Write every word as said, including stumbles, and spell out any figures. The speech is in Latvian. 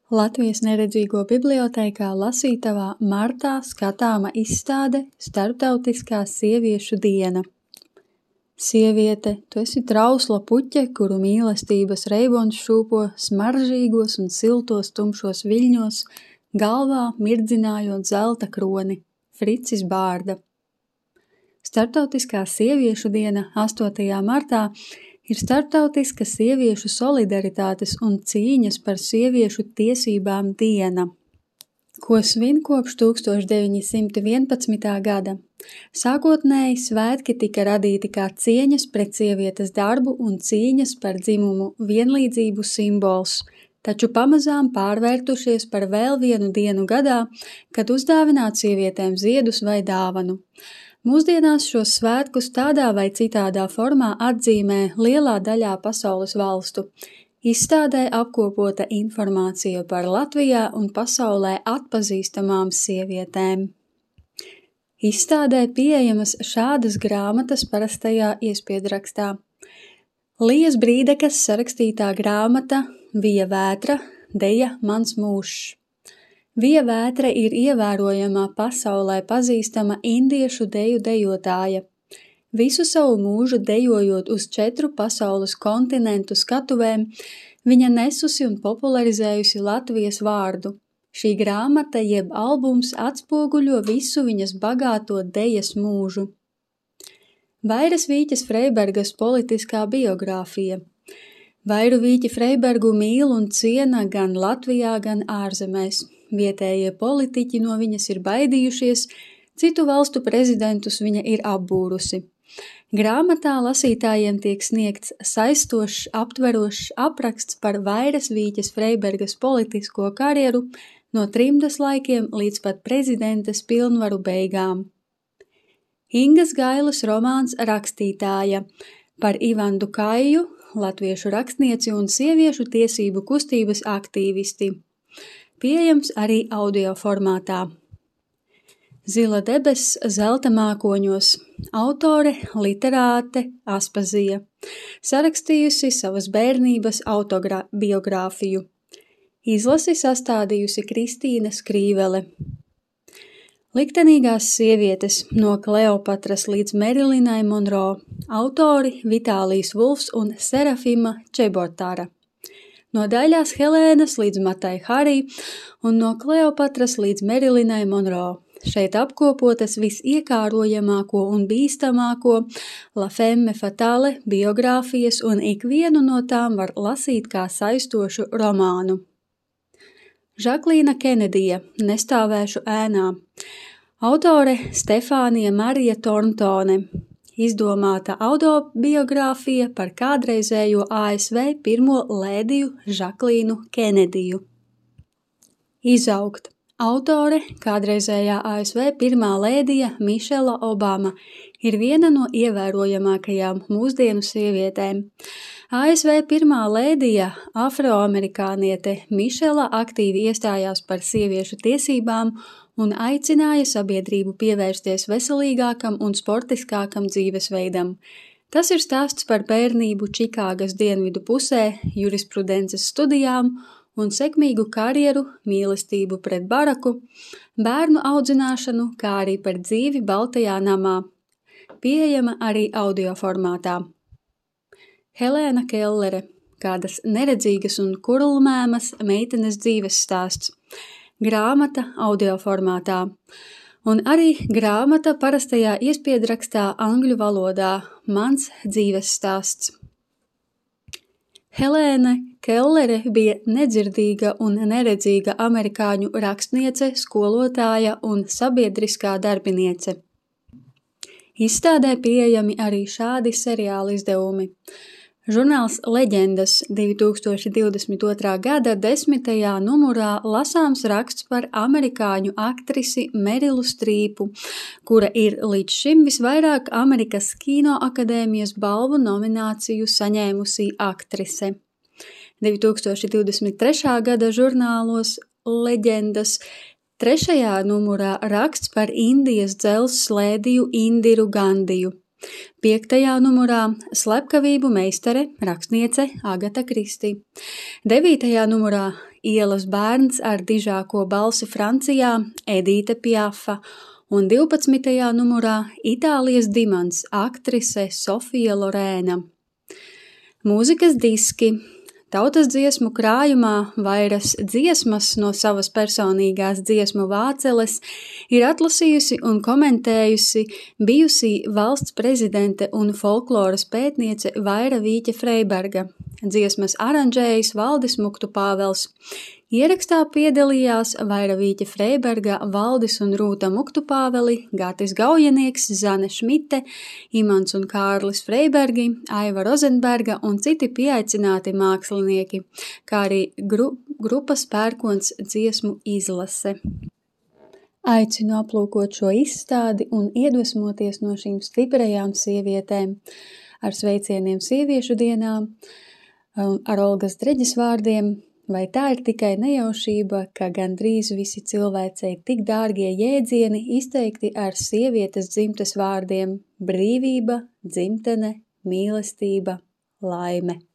Latvijas neredzīgo bibliotēkā lasītavā martā skatāma izstāde Starptautiskā sieviešu diena. Sieviete, tu esi trausla puķe, kuru mīlestības reibons šūpo smaržīgos un siltos tumšos viļņos, galvā mirdzinājot zelta kroni. Fricis Bārda. Starptautiskā sieviešu diena astotajā martā ir starptautiska sieviešu solidaritātes un cīņas par sieviešu tiesībām diena, ko svin kopš tūkstoš deviņi simti vienpadsmitā gada. Sākotnēji svētki tika radīti kā cieņas pret sievietes darbu un cīņas par dzimumu vienlīdzību simbols, taču pamazām pārvērtušies par vēl vienu dienu gadā, kad uzdāvināt sievietēm ziedus vai dāvanu. Mūsdienās šos svētkus tādā vai citādā formā atzīmē lielā daļā pasaules valstu. Izstādē apkopota informācija par Latvijā un pasaulē atpazīstamām sievietēm. Izstādē pieejamas šādas grāmatas parastajā iespiedrakstā. Lijas Brīdekas sarakstītā grāmata Vija Vētra, deja Mans mūžs. Vija Vētra ir ievērojamā pasaulē pazīstama indiešu deju dejotāja. Visu savu mūžu dejojot uz četru pasaules kontinentu skatuvēm, viņa nesusi un popularizējusi Latvijas vārdu. Šī grāmata jeb albums atspoguļo visu viņas bagāto dejas mūžu. Vairas Vīķes Freibergas politiskā biogrāfija. Vairu Vīķi Freibergu mīl un ciena gan Latvijā, gan ārzemēs. Vietējie politiķi no viņas ir baidījušies, citu valstu prezidentus viņa ir apbūrusi. Grāmatā lasītājiem tiek sniegts saistošs, aptverošs apraksts par Vairas Vīķes Freibergas politisko karjeru no trimdas laikiem līdz pat prezidentes pilnvaru beigām. Ingas Gailas romāns Rakstītāja par Ivandu Kaiju, latviešu rakstnieci un sieviešu tiesību kustības aktīvisti. Pieejams arī audio formātā. Zila debess zelta mākoņos. Autore, literāte Aspazija. Sarakstījusi savas bērnības autobiogrāfiju. Izlasi sastādījusi Kristīna Skrīvele. Liktenīgās sievietes no Kleopatras līdz Merilinai Monro. Autori Vitālijs Vulfs un Serafima Čebotāra. No Daļās Helēnas līdz Matai Harī un no Kleopatras līdz Merilinai Monro. Šeit apkopotas visiekārojamāko un bīstamāko La Femme Fatale biogrāfijas un ikvienu no tām var lasīt kā saistošu romānu. Žaklīna Kenedija, Nestāvēšu ēnā. Autore Stefānija Marija Torntone. Izdomāta autobiogrāfija par kādreizējo A S V pirmo lēdiju Žaklīnu Kenediju. Izaugt. Autore, kādreizējā A S V pirmā lēdija Mišela Obama, ir viena no ievērojamākajām mūsdienu sievietēm. A S V pirmā lēdija, afroamerikāniete Mišela aktīvi iestājās par sieviešu tiesībām un aicināja sabiedrību pievērsties veselīgākam un sportiskākam dzīvesveidam. Tas ir stāsts par bērnību Čikāgas dienvidu pusē, jurisprudences studijām un sekmīgu karjeru, mīlestību pret Baraku, bērnu audzināšanu, kā arī par dzīvi Baltajā namā. Pieejama arī audio formātā. Helēna Kellere, kādas neredzīgas un kurlmēmas meitenes dzīves stāsts. Grāmata audio formātā. Un arī grāmata parastajā iespiedrakstā angļu valodā Mans dzīves stāsts. Helēna Kellere bija nedzirdīga un neredzīga amerikāņu rakstniece, skolotāja un sabiedriskā darbiniece. Izstādē pieejami arī šādi seriāla izdevumi. Žurnāls Leģendas divi tūkstoši divdesmit otrā gada desmitajā numurā lasāms raksts par amerikāņu aktrisi Merilu Strīpu, kura ir līdz šim visvairāk Amerikas Kinoakadēmijas balvu nomināciju saņēmusī aktrise. divi tūkstoši divdesmit trešā gada žurnālos Leģendas trešajā numurā raksts par Indijas dzelzs slēdiju Indiru Gandiju. Piektajā numurā slepkavību meistare, rakstniece Agata Kristi. Devītajā numurā ielas bērns ar dižāko balsi Francijā Edīte Piafa un divpadsmitajā numurā Itālijas dimants aktrise Sofija Lorēna. Mūzikas diski. Tautas dziesmu krājumā vairas dziesmas no savas personīgās dziesmu vāceles ir atlasījusi un komentējusi bijusī valsts prezidente un folkloras pētniece Vaira Vīķe Freiberga. Dziesmas aranžējis Valdis Muktupāvels. Ierakstā piedalījās Vaira Vīķe Freiberga, Valdis un Rūta Muktupāveli, Gatis Gaujenieks, Zane Šmite, Imants un Kārlis Freibergi, Aiva Rozenberga un citi pieaicināti mākslinieki, kā arī gru, grupas Pērkons dziesmu izlase. Aicinu aplūkot šo izstādi un iedvesmoties no šīm stiprajām sievietēm ar sveicieniem sieviešu dienām, ar Olgas Dreģes vārdiem. Vai tā ir tikai nejaušība, ka gandrīz visi cilvēcei tik dārgie jēdzieni izteikti ar sievietes dzimtes vārdiem – brīvība, dzimtene, mīlestība, laime?